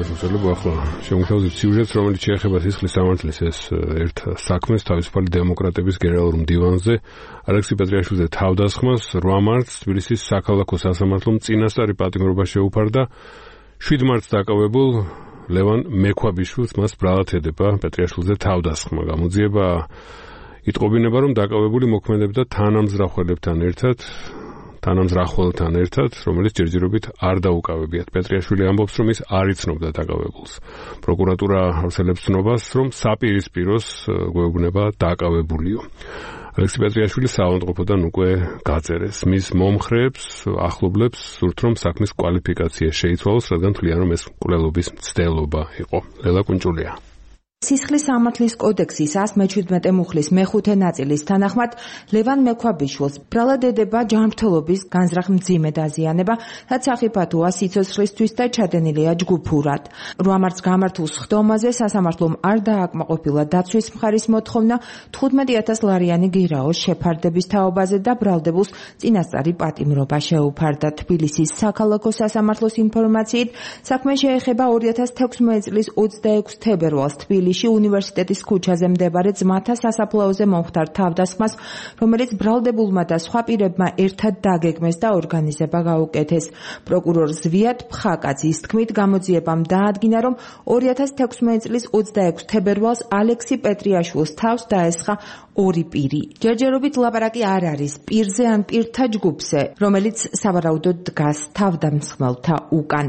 მოსულობა ახლა შემოგთავაზებთ სიუჟეტს, რომელიც შეეხება სისხლის სამართლის ეს ერთ საქმეს თავისუფალი დემოკრატების გენერალურ მდივანზე ალექსი პეტრიაშვილზე თავდასხმას 8 მარტს თბილისის საქალაქო სასამართლომ წინასწარი პატიმრობა შეუფარდა. 7 მარტს დაკავებულ ლევან მექვაბიშვილს მას ბრალად ედება პეტრიაშვილზე თავდასხმა. გამოძიება იტყობინება, რომ დაკავებული მოქმედებდა თანამზრახველთან ერთად, რომელიც ჯერჯერობით არ დაუკავებიათ. პეტრიაშვილი ამბობს, რომ ის არ იცნობდა დაკავებულს. პროკურატურა არსებობს ცნობას, რომ საპირისპიროს გვეუბნება დაკავებულიო. ალექსი პეტრიაშვილი საავადმყოფოდან უკვე გაწერეს. მის მომხრეებს, ახლობლებს სურთ, რომ საქმის კვალიფიკაცია შეიცვალოს, რადგან თვლიან, რომ ეს მკვლელობის მცდელობა იყო. ლელა კუნჭულია. სისხლის სამართლის კოდექსის 117 მუხლის მეხუთე ნაწილის თანახმად ლევან მექვაბიშვილს ბრალად ედება ჯანმრთელობის განზრახ მძიმე დაზიანება, რაც სახიფათოა სიცოცხლისთვის და ჩადენილია ჯგუფურად. 8 მარტს გამართულ სხდომაზე სასამართლომ არ დააკმაყოფილა დაცვის მხარის მოთხოვნა 15,000 ლარიანი გირაოს შეფარდების თაობაზე და ბრალდებულს წინასწარი პატიმრობა შეუფარდა. თბილისის საქალაქო სასამართლოს ინფორმაციით, საქმე შეეხება 2016 წლის 26 თებერვალს უნივერსიტეტის ქუჩაზე მდებარე ძმათა სასაფლაოზე მომხდარ თავდასხმას, რომელიც ბრალდებულმა და სხვა პირებმა ერთად დაგეგმეს და ორგანიზება გაუკეთეს. პროკურორ ზვიად ფხაკაძის თქმით, გამოძიებამ დაადგინა, რომ 2016 წლის 26 თებერვალს ალექსი პეტრიაშვილს თავს დაესხა ორი პირი. ჯერჯერობით ლაპარაკი არ არის პირზე ან პირთა ჯგუფზე, რომელიც სავარაუდოდ დგას თავდამსხმელთა უკან.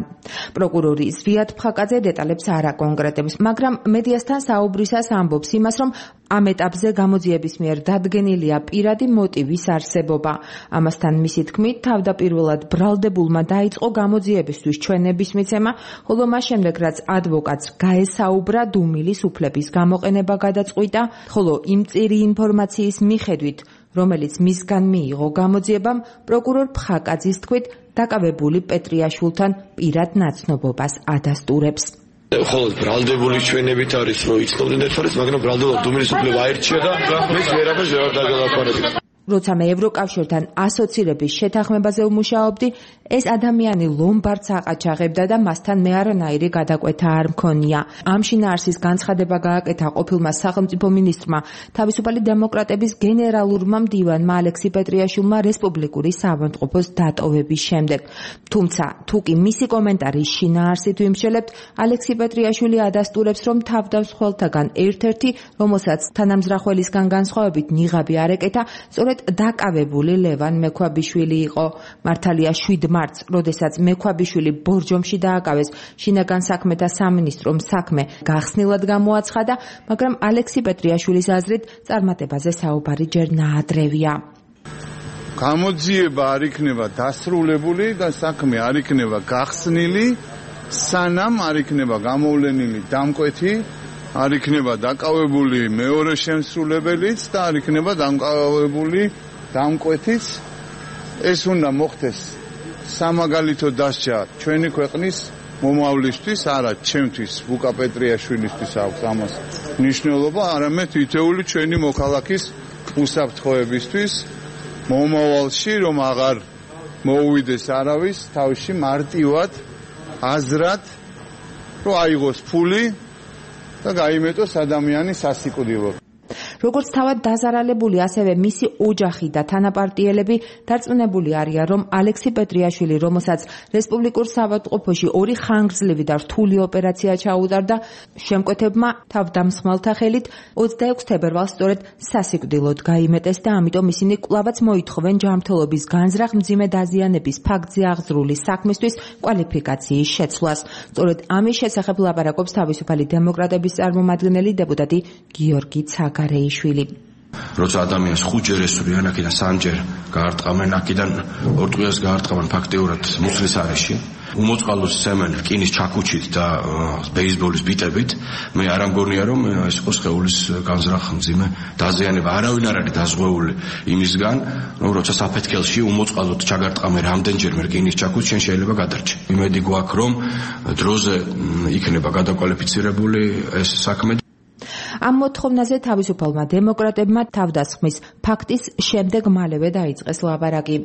პროკურორი ზვიად ფხაკაძე დეტალებს არ აკონკრეტებს, მაგრამ მედიასთან საუბრისას ამბობს იმას, რომ ამ ეტაპზე გამოძიების მიერ დადგენილია პირადი მოტივის არსებობა. ამასთან მისი თქმით, თავდაპირველად ბრალდებულმა დაიწყო გამოძიებისთვის ჩვენების მიცემა, ხოლო მას შემდეგ, რაც ადვოკატს გაესაუბრა, დუმილის უფლების გამოყენება გადაწყვიტა, ხოლო იმ წირი ინფორმაციის მიხედვით, რომელიც მისგან მიიღო გამოძიებამ, პროკურორ ფხაკაძის თქმით, დაკავებული პეტრიაშვილთან პირად ნაცნობობას ადასტურებს. ხოლოს ბრალდებული ჩვენებით არის, რომ იცნობდნენ ერთმანეთს, მაგრამ ბრალდებულად დუმილის უფლება აირჩია და მეც ვერაფერს ვერ დაგელაპარაკე. როცა მე ევროკავშირთან ასოცირების შეთანხმებაზე ვმუშაობდი, ეს ადამიანი ლომბარდს აყაჩაღებდა და მასთან მე არანაირი გადაკვეთა არ მქონია. ამ შინაარსის განცხადება გააკეთა ყოფილმა სახელმწიფო მინისტრმა, თავისუფალი დემოკრატების გენერალურმა მდივანმა ალექსი პეტრიაშვილმა რესპუბლიკური საავადმყოფოს დატოვების შემდეგ. თუმცა, თუ კი მისი კომენტარის შინაარსით ვიმსჯელებთ, ალექსი პეტრიაშვილი ადასტურებს, რომ თავდამსხმელთაგან ერთ-ერთი, რომელსაც თანამზრახველისგან განსხვავებით ნიღაბი არ ეკეთა, სწორედ დაკავებული ლევან მექვაბიშვილი იყო. მართალია 7 მარტს, როდესაც მექვაბიშვილი ბორჯომში დააკავეს, შინაგან საქმეთა სამინისტრომ საქმე გახსნილად გამოაცხადა, მაგრამ ალექსი პეტრიაშვილის აზრით წარმატებაზე საუბარი ჯერ ნაადრევია. გამოძიება არ იქნება დასრულებული და საქმე არ იქნება გახსნილი, სანამ არ იქნება გამოვლენილი დამკვეთი, არ იქნება დაკავებული მეორე შემსრულებელიც და არ იქნება დაკავებული დამკვეთიც. ეს უნდა მოხდეს სამაგალითო დასჯა ჩვენი ქვეყნის მომავლისთვის, არა ჩემთვის, ვუკა პეტრიაშვილისთვის აქვს ამას მნიშვნელობა, არამედ თითოეული ჩვენი მოქალაქის უსაფრთხოებისთვის მომავალში, რომ აღარ მოუვიდეს არავის თავში მარტივად აზრად, რომ აიღოს ფული და გაიმეტოს ადამიანის სასიკვდილოდ. როგორც თავად დაზარალებული, ასევე მისი ოჯახი და თანაპარტიელები დარწმუნებული არიან, რომ ალექსი პეტრიაშვილი, რომელსაც რესპუბლიკურ საავადმყოფოში 2 ხანგრძლივი და რთული ოპერაცია ჩაუტარდა, შემკვეთებმა თავდამსხმელთა ხელით 26 თებერვალს სწორედ სასიკვდილოდ გაიმეტეს და ამიტომ ისინი კვლავაც მოითხოვენ ჯანმრთელობის განზრახ მძიმე დაზიანების ფაქტზე აღძრული საქმისთვის კვალიფიკაციის შეცვლას. სწორედ ამის შესახებ ლაპარაკობს თავისუფალი დემოკრატების წარმომადგენელი დეპუტატი გიორგი ცაგარეიშვილი. როცა ადამიანს 5 ჯერ ესურიან, აქედან 3 ჯერ გაარტყამენ, აქედან 2 ტყვიას გაარტყამენ ფაქტიურად მუხლის არეში, უმოწყალოს სემენ რკინის ჩაქუჩით და ბეისბოლის ბიტებით, მე არ ამგონია, რომ ეს იყო სხეულის განზრახ მძიმე დაზიანება. არავინ არ არის დაზღვეული იმისგან, რომ როცა საფეთქელში უმოწყალოდ ჩაგარტყამე რამდენჯერმე რკინის ჩაქუჩი, შენ შეიძლება გადარჩე. იმედი გვაქვს, რომ დროზე იქნება გადაკვალიფიცირებული ეს საქმე. ამ მოთხოვნაზე თავისუფალმა დემოკრატებმა თავდასხმის ფაქტის შემდეგ მალევე დაიწყეს ლაბარაკი.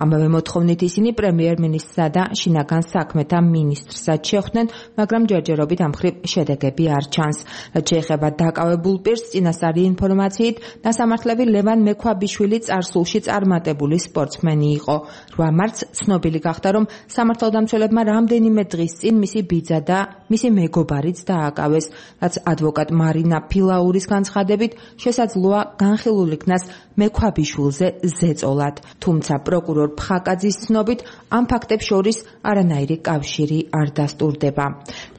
ამავე მოთხოვნით ისინი პრემიერ-მინისტრსა და შინაგან საქმეთა მინისტრსაც შეხვდნენ, მაგრამ ჯერჯერობით ამ მხრივ შედეგები არ ჩანს. რაც შეეხება დაკავებულ პირს, წინასწარი ინფორმაციით, დასამართლები ლევან მექვაბიშვილი წარსულში წარმატებული სპორტსმენი იყო. 8 მარტს ცნობილი გახდა, რომ სამართალდამცველებმა რამდენიმე დღის წინ მისი ბიძა და მისი მეგობარიც დააკავეს, რაც ადვოკატ მარინა ფილაურის განცხადებით შესაძლოა განხილულ იქნას მექვაბიშვილზე ზეწოლად. თუმცა პროკურორ ფხაკაძის ცნობით ამ ფაქტებს შორის არანაირი კავშირი არ დასტურდება.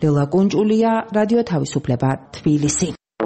ლელა კუნჭულია, რადიო თავისუფლება, თბილისი.